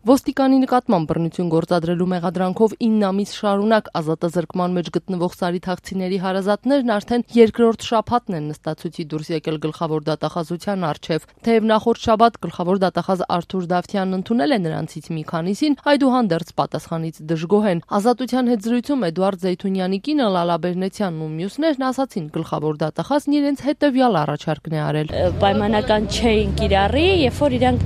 Ոստիկանի նկատմամբ բռնություն գործադրելու մեղադրանքով 9 ամիս շարունակ ազատազրկման մեջ գտնվող սարիթաղցիների հարազատներն արդեն երկրորդ շաբաթն են նստացույցի դուրս եկել գլխավոր դատախազության առջև։ Թեև նախորդ շաբաթ գլխավոր դատախազ Արթուր Դավթյանն ընդունել է նրանցից մի քանիսին, այդուհանդերձ պատասխանից դժգոհ են։ Ազատության հետ զրույցում Էդուարդ Զեյթունյանի կինը Լալա Բերնեցյանն ու մյուսներն ասացին գլխավոր դատախազն իրենց հետևյալ առաջարկն է արել։ Պայմանական չէին կիրառի, երբ որ իրանք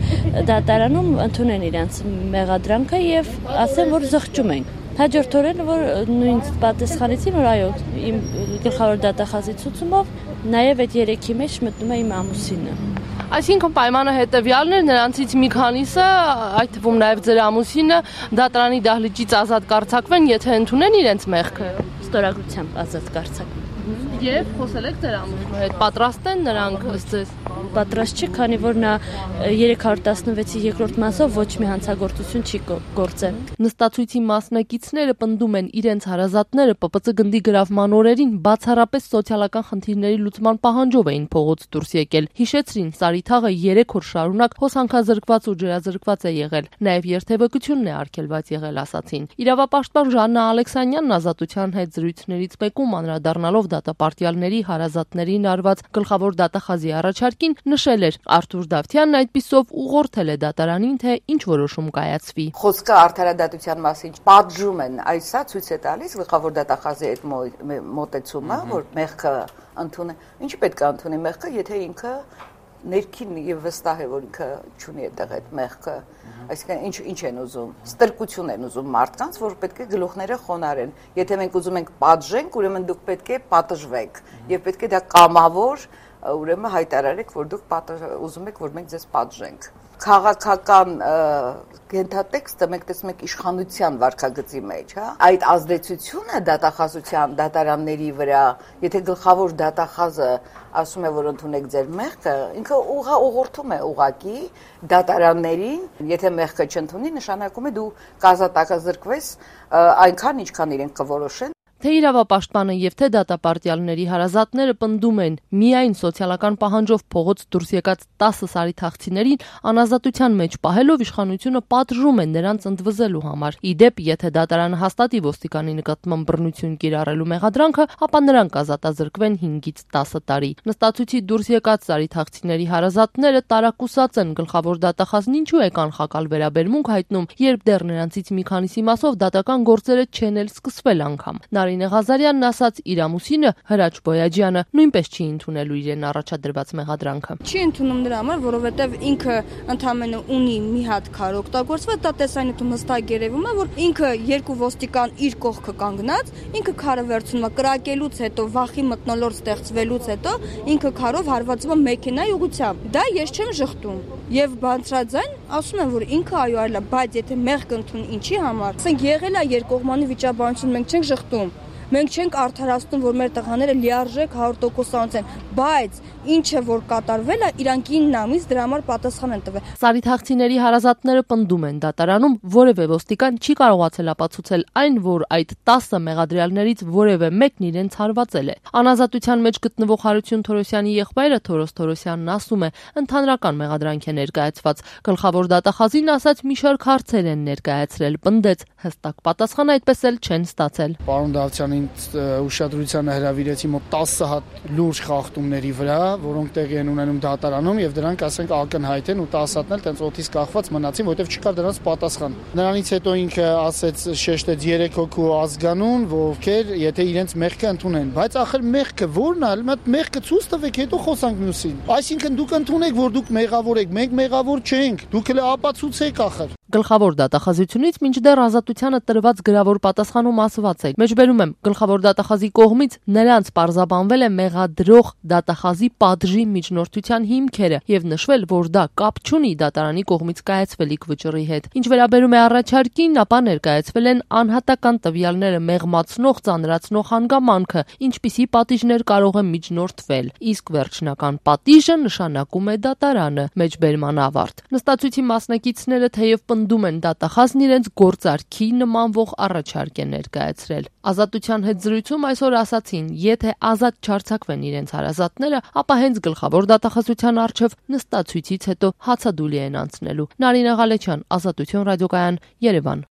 դատարանում ընդունեն իրենց մեղադրանքը եւ ասեն, որ զղջում են։ Հաջորդ օրերը, որ նույն պատասխանեցին, որ այո, իմ գլխավոր դատախազի ցուցումով նաեւ այդ երեքի մեջ մտնում է իմ ամուսինը։ Այսինքն պայմանը հետևյալն էր, նրանցից մի քանիսը, այդ թվում նաեւ ձեր ամուսինը, դատարանի դահլիճից ազատ կարձակվեն, եթե ընդունեն իրենց մեղքը։ Ստորագրությամբ ազատ կարձակվեն։ Եվ խոսել եք ձեր ամուսնու հետ, պատրաստ են նրանք ըստ ձեզ։ Պատրաստ չի, քանի որ նա 316-ի երկրորդ մասով ոչ մի հանցագործություն չի գործել։ Նստացույցի մասնակիցները պնդում են իրենց հարազատները ՊՊՑ գնդի գրավման օրերին բացառապես սոցիալական խնդիրների լուծման պահանջով էին փողոց դուրս եկել։ Հիշեցրին, Սարիթաղը 3 օր շարունակ հոսանքազրկված ու ջրազրկված է եղել, նաև երթևեկությունն է արգելված եղել, ասացին։ Իրավապաշտպան Ժաննա Ալեքսանյանն ազատության հետ զրույցներից մեկում անդրադառնալով դատապարտյալների հարազատներին արված գլխավոր դատախազի առաջարկին նշել էր, Արթուր Դավթյանն այդպիսով ուղղորդել է դատարանին, թե ինչ որոշում կայացվի։ Խոսքը արդարադատության մասին պատժում են, այսա ցույց է տալիս գլխավոր դատախազի այդ մոտեցումը, որ մեղքը ընդունի, ինչ պետք է ընդունի մեղքը, եթե ինքը ներքին եւ վստահ է, որ ինքը չունի այդտեղ այդ մեղքը, այսինքն ինչ են ուզում, ստրկություն են ուզում մարդկանց, որ պետք է գլուխները խոնարեն։ Եթե մենք ուզում ենք պատժենք, ուրեմն դուք պետք է պատժվեք եւ պետք է դա կամավոր, ուրեմն հայտարարեք, որ դուք ուզում եք, որ մենք ձեզ պատժենք։ Քաղաքական գենթատեքստը մենք տեսնում ենք իշխանության վարքագծի մեջ, հա։ Այդ ազդեցությունը դատախազության դատարանների վրա, եթե գլխավոր դատախազը ասում է, որ ընդունեք ձեր մեղքը, ինքը ուղղորդում է ուղակի դատարաններին, եթե մեղքը չընդունի, նշանակում է դու կազատազրկվես այնքան, ինչքան իրենք կորոշեն։ Թե իրավապաշտպանը եւ թե դատապարտյալների հարազատները պնդում են, միայն սոցիալական պահանջով փողոց դուրս եկած 10 սարիթաղցիներին անազատության մեջ պահելով իշխանությունը պատժում են նրանց ընդվզելու համար։ Իդեպ, եթե դատարանը հաստատի ոստիկանի նկատմամբ բռնություն կիրառելու մեղադրանքը, ապա նրանք ազատազրկվեն 5-ից 10 տարի։ Նստացույցի դուրս եկած սարիթաղցիների հարազատները տարակուսած են գլխավոր դատախազն ինչու է կանխակալ վերաբերմունք հայտնում, երբ դեռ նրանցից մի քանիսի մասով դատական գործերը չեն էլ սկսվել անգամ։ Նարինե Ղազարյանն ասաց, իր ամուսինը Հրաչ Բոյաջյանը նույնպես չի ընդունելու իրեն առաջադրված մեղադրանքը։ Չի ընդունում նրա համար, որովհետև ինքը ընդամենը ունի մի հատ քար օգտագործված, դա տեսանյութում հստակ երևում է, որ ինքը երկու ոստիկան իր կողքը կանգնած, ինքը քարը վերցնում է կրակելուց հետո, վախի մթնոլորտ ստեղծվելուց հետո, ինքը քարով հարվածում է մեքենայի ուղղությամբ։ Դա ես չեմ ժխտում։ Եվ բանցրաձայն ասում են, որ ինքը այո այլ է, բայց եթե մեղք ընդունի ինչի համար, ասենք եղել է երկկողմանի վիճաբանություն, մենք չենք ժխտում։ Մենք չենք արդարացնում, որ մեր տղաները լիարժեք 100% են, բայց ինչը որ կատարվել է, իրանք 9 ամիս դրա համար պատասխան են տվել։ Սարիթաղցիների հարազատները պնդում են դատարանում որևէ ոստիկան չի կարողացել ապացուցել այն, որ այդ 10 մեղադրյալներից որևէ մեկն իրենց հարվածել է։ Անազատության մեջ գտնվող Հարություն Թորոսյանի եղբայրը Թորոս Թորոսյանն ասում է, ընդհանրական մեղադրանք է ներկայացված։ Գլխավոր դատախազին ասած մի շարք հարցեր են ներկայացրել, պնդեց, հստակ պատասխան այդպես էլ չեն ստացել։ Պարոն Դավթյանի ուշադրությանը հրավիրեցի մոտ 10 հատ լուրջ խախտումների վրա, որոնք տեղի են ունենում դատարանում եւ դրանք ասենք ակնհայտ են ու 10 հատն էլ տենց օթից կախված մնացին, որովհետեւ չկար դրանց պատասխան։ Նրանից հետո ինքը ասեց շեշտեց 3 հոգու ազգանուն, ովքեր եթե իրենց մեղքը ընդունեն, բայց ախր մեղքը ո՞րն է, մատ մեղքը ցույց տվեք, հետո խոսանք մյուսին։ Այսինքն դուք ընդունեք, որ դուք մեղավոր եք, մենք մեղավոր չենք, դուք էլ ապացուցեք ախր։ Գլխավոր դատախազությունից մինչդեռ ազատությանը տրված գրավոր պատասխանում ասված է։ Մեջբերում եմ, գլխավոր դատախազի կողմից նրանց պարզաբանվել է մեղադրող դատախազի պատժի միջնորդության հիմքերը եւ նշվել, որ դա կապ չունի դատարանի կողմից կայացվելիք վճռի հետ։ Ինչ վերաբերում է առաջարկին, ապա ներկայացվել են անհատական տվյալները մեղմացնող, ծանրացնող հանգամանքը, ինչպիսի պատիժներ կարող է միջնորդվել, իսկ վերջնական պատիժը նշանակում է դատարանը։ Մեջբերման ավարտ։ Նստացույցի մասնակիցները թեև պնդում են դատախազն իրենց գործարքի նմանվող առաջարկ է ներկայացրել։ Ազատության հետ զրույցում այսօր ասացին, եթե ազատ չարձակվեն իրենց հարազատները, ապա հենց գլխավոր դատախազության առջև նստացույցից հետո հացադուլի են անցնելու։ Նարինե Ղալեչյան, Ազատություն ռադիոկայան, Երևան։